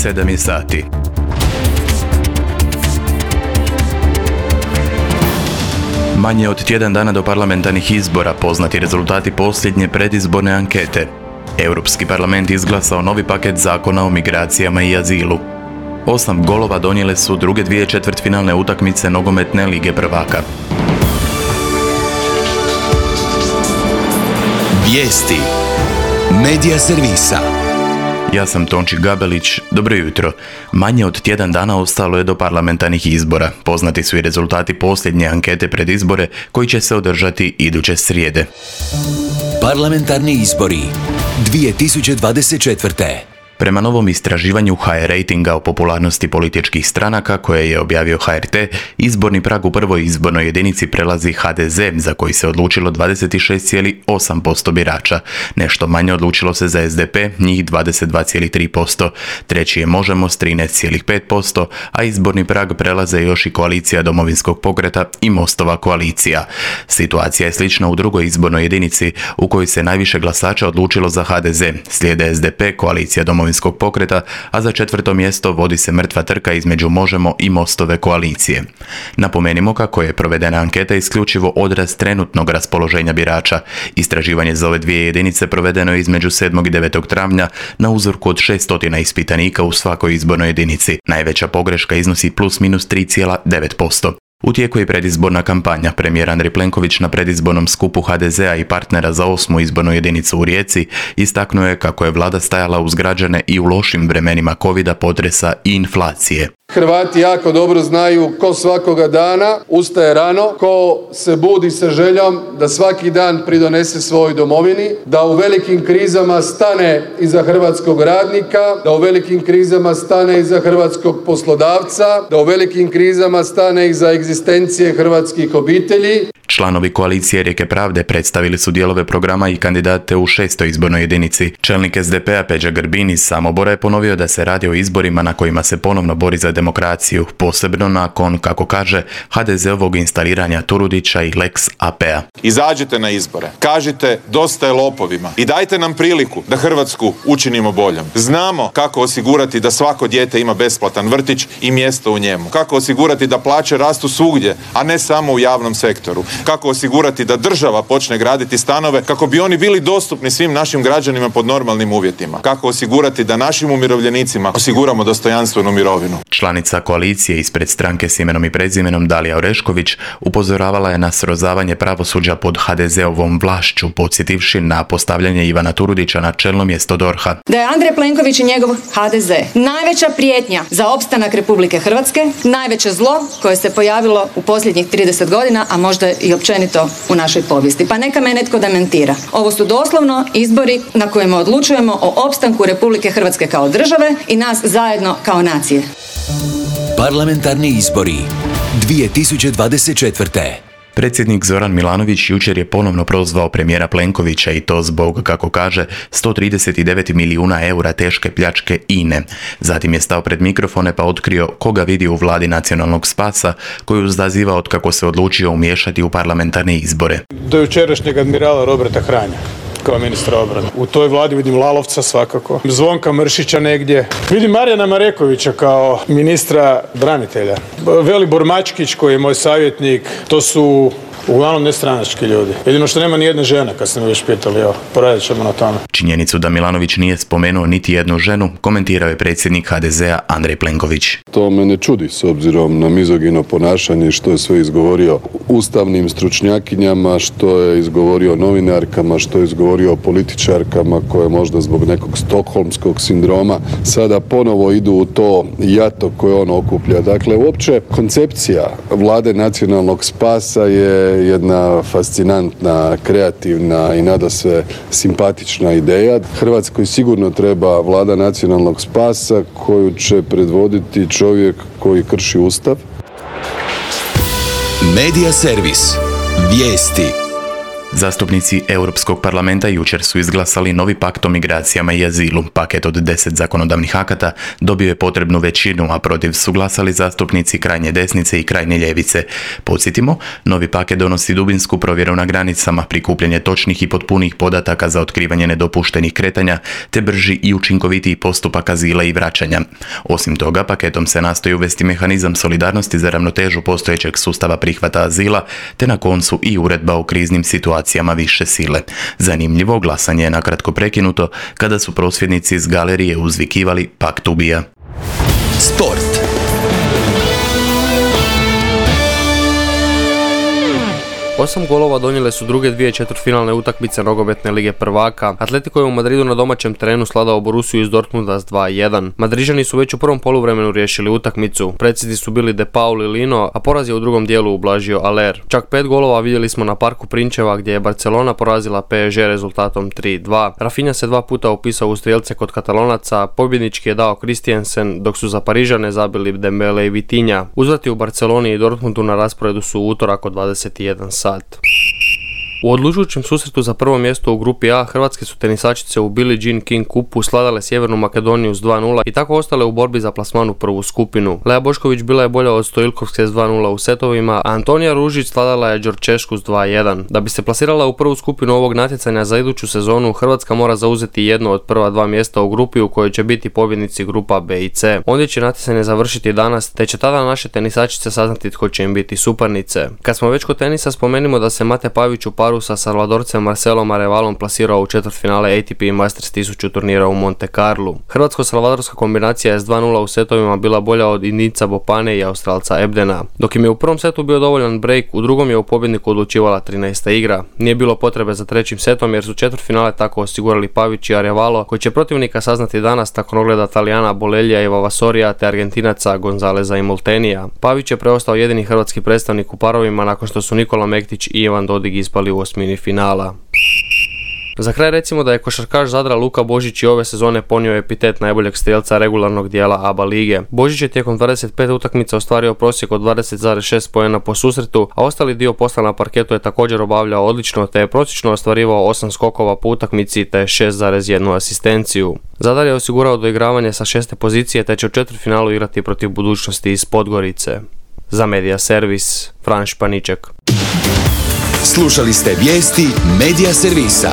7 je sati. Manje od tjedan dana do parlamentarnih izbora poznati rezultati posljednje predizborne ankete. Europski parlament izglasao novi paket zakona o migracijama i azilu. 8 golova donijele su druge dvije četvrtfinalne utakmice nogometne lige prvaka. Vijesti Medija servisa. Ja sam Tonči Gabelić, dobro jutro. Manje od tjedan dana ostalo je do parlamentarnih izbora. Poznati su i rezultati posljednje ankete pred izbore koji će se održati iduće srijede. Parlamentarni izbori 2024. Prema novom istraživanju HR ratinga o popularnosti političkih stranaka koje je objavio HRT, izborni prag u prvoj izbornoj jedinici prelazi HDZ, za koji se odlučilo 26,8% birača. Nešto manje odlučilo se za SDP, njih 22,3%. Treći je Možemo s 13,5%, a izborni prag prelaze još i koalicija Domovinskog pokreta i Mostova koalicija. Situacija je slična u drugoj izbornoj jedinici u kojoj se najviše glasača odlučilo za HDZ. Slijede SDP, koalicija Domovinskog pokreta, a za četvrto mjesto vodi se mrtva trka između Možemo i Mostove koalicije. Napomenimo kako je provedena anketa isključivo odraz trenutnog raspoloženja birača. Istraživanje za ove dvije jedinice provedeno je između 7. i 9. travnja na uzorku od 600 ispitanika u svakoj izbornoj jedinici. Najveća pogreška iznosi plus minus 3,9%. U tijeku je predizborna kampanja. Premijer Andrej Plenković na predizbornom skupu HDZ-a i partnera za 8. izbornu jedinicu u Rijeci istaknuo je kako je vlada stajala uz građane i u lošim vremenima covida, potresa i inflacije. Hrvati jako dobro znaju ko svakoga dana ustaje rano, ko se budi sa željom da svaki dan pridonese svojoj domovini, da u velikim krizama stane iza hrvatskog radnika, da u velikim krizama stane iza hrvatskog poslodavca, da u velikim krizama stane iza egzistencije hrvatskih obitelji. Članovi koalicije Rijeke pravde predstavili su dijelove programa i kandidate u 6. izbornoj jedinici. Čelnik SDP-a Peđa Grbin iz Samobora je ponovio da se radi o izborima na kojima se ponovno bori za demokraciju, posebno nakon, kako kaže, HDZ-ovog instaliranja Turudića i Lex AP-a. Izađite na izbore, kažite dosta je lopovima i dajte nam priliku da Hrvatsku učinimo boljom. Znamo kako osigurati da svako dijete ima besplatan vrtić i mjesto u njemu. Kako osigurati da plaće rastu svugdje, a ne samo u javnom sektoru. Kako osigurati da država počne graditi stanove kako bi oni bili dostupni svim našim građanima pod normalnim uvjetima. Kako osigurati da našim umirovljenicima osiguramo dostojanstvenu mirovinu. Članica koalicije ispred stranke s imenom i prezimenom Dalija Orešković upozoravala je na srozavanje pravosuđa pod HDZ-ovom vlašću, podsjetivši na postavljanje Ivana Turudića na čelno mjesto DORH-a. Da je Andrej Plenković i njegov HDZ najveća prijetnja za opstanak Republike Hrvatske, najveće zlo koje se pojavilo u posljednjih 30 godina, a možda i općenito u našoj povijesti. Pa neka me netko dementira. Ovo su doslovno izbori na kojima odlučujemo o opstanku Republike Hrvatske kao države i nas zajedno kao nacije. Parlamentarni izbori 2024. Predsjednik Zoran Milanović jučer je ponovno prozvao premijera Plenkovića i to zbog, kako kaže, 139 milijuna eura teške pljačke INE. Zatim je stao pred mikrofone pa otkrio koga vidi u vladi nacionalnog spasa koju zaziva od kako se odlučio umiješati u parlamentarne izbore. Do jučerašnjeg admirala Roberta Hranja kao ministra obrane. U toj vladi vidim Lalovca svakako, Zvonka Mršića negdje. Vidim Marijana Marekovića kao ministra branitelja. Velibor Mačkić koji je moj savjetnik, to su uglavnom nestranački ljudi. Jedino što nema ni jedne žene, kad ste me već pitali, evo, poradit ćemo na tome. Činjenicu da Milanović nije spomenuo niti jednu ženu komentirao je predsjednik HDZ-a Andrej Plenković. To me ne čudi s obzirom na mizogino ponašanje što je sve izgovorio ustavnim stručnjakinjama, što je izgovorio novinarkama, što je izgovorio političarkama koje možda zbog nekog stokholmskog sindroma sada ponovo idu u to jato koje on okuplja. Dakle, uopće koncepcija vlade nacionalnog spasa je jedna fascinantna, kreativna i nadasve simpatična ideja. Hrvatskoj sigurno treba vlada nacionalnog spasa koju će predvoditi čovjek koji krši Ustav. Medija servis. Vijesti. Zastupnici Europskog parlamenta jučer su izglasali novi pakt o migracijama i azilu. Paket od 10 zakonodavnih akata dobio je potrebnu većinu, a protiv su glasali zastupnici krajnje desnice i krajnje ljevice. Podsjetimo, novi paket donosi dubinsku provjeru na granicama, prikupljanje točnih i potpunih podataka za otkrivanje nedopuštenih kretanja, te brži i učinkovitiji postupak azila i vraćanja. Osim toga, paketom se nastoji uvesti mehanizam solidarnosti za ravnotežu postojećeg sustava prihvata azila, te na koncu i uredba o kriznim situacijama više sile. Zanimljivo, glasanje je nakratko prekinuto kada su prosvjednici iz galerije uzvikivali "Pakt ubija". Sport. Osam golova donijele su druge dvije četvrtfinalne utakmice nogometne lige prvaka. Atletico je u Madridu na domaćem terenu svladao Borussiju iz Dortmunda s 2:1. Madrižani su već u prvom poluvremenu riješili utakmicu. Precizni su bili De Paul i Lino, a poraz je u drugom dijelu ublažio Aller. Čak 5 golova vidjeli smo na Parku Prinčeva gdje je Barcelona porazila PSG rezultatom 3:2. Rafinha se 2 puta upisao u strijelce kod Katalonaca, pobjednički je dao Christiansen, dok su za Parižane zabili Dembele i Vitinha. Uzvrati u Barceloni i Dortmundu na rasporedu su u utorak od 21 sat. U odlučujućem susretu za prvo mjesto u grupi A, hrvatske su tenisačice u Billie Jean King Cupu sladale Sjevernu Makedoniju s 2:0 i tako ostale u borbi za plasman u prvu skupinu. Lea Bošković bila je bolja od Stojilkovske s 2:0 u setovima, a Antonija Ružić sladala je Đorčešku s 2:1. Da bi se plasirala u prvu skupinu ovog natjecanja za iduću sezonu, Hrvatska mora zauzeti jedno od prva 2 mjesta u grupi u kojoj će biti pobjednici grupa B i C. Ondje će natjecanje završiti danas, te će tada naše tenisačice saznati tko će im biti suparnice. Kad smo već kod tenisa, spomenimo da se Mate Pavić u paru sa Salvadorcem Marcelom Arevalom plasirao u četvrtfinale ATP Masters 1000 turnira u Monte Carlu. Hrvatsko-salvadorska kombinacija je s 2:0 u setovima bila bolja od Indijca Bopane i Australca Ebdena. Dok im je u prvom setu bio dovoljan break, u drugom je u pobjedniku odlučivala 13. igra. Nije bilo potrebe za trećim setom jer su četvrtfinale tako osigurali Pavić i Arevalo, koji će protivnika saznati danas nakon ogleda Talijana Bolelija i Vavasorija te Argentinaca Gonzaleza i Moltenija. Pavić je preostao jedini hrvatski predstavnik u parovima nakon što su Nikola Mektić i Ivan Dodig ispali u osmini finala. Za kraj recimo da je košarkaš Zadra Luka Božić i ove sezone ponio epitet najboljeg strijelca regularnog dijela ABA lige. Božić je tijekom 25 utakmica ostvario prosjek od 20,6 poena po susretu, a ostali dio posla na parketu je također obavljao odlično, te je prosječno ostvarivao 8 skokova po utakmici te 6,1 asistenciju. Zadar je osigurao doigravanje sa 6. pozicije te će u četvrtfinalu igrati protiv Budućnosti iz Podgorice. Za Media Servis, Fran Španiček. Slušali ste vijesti Media Servisa.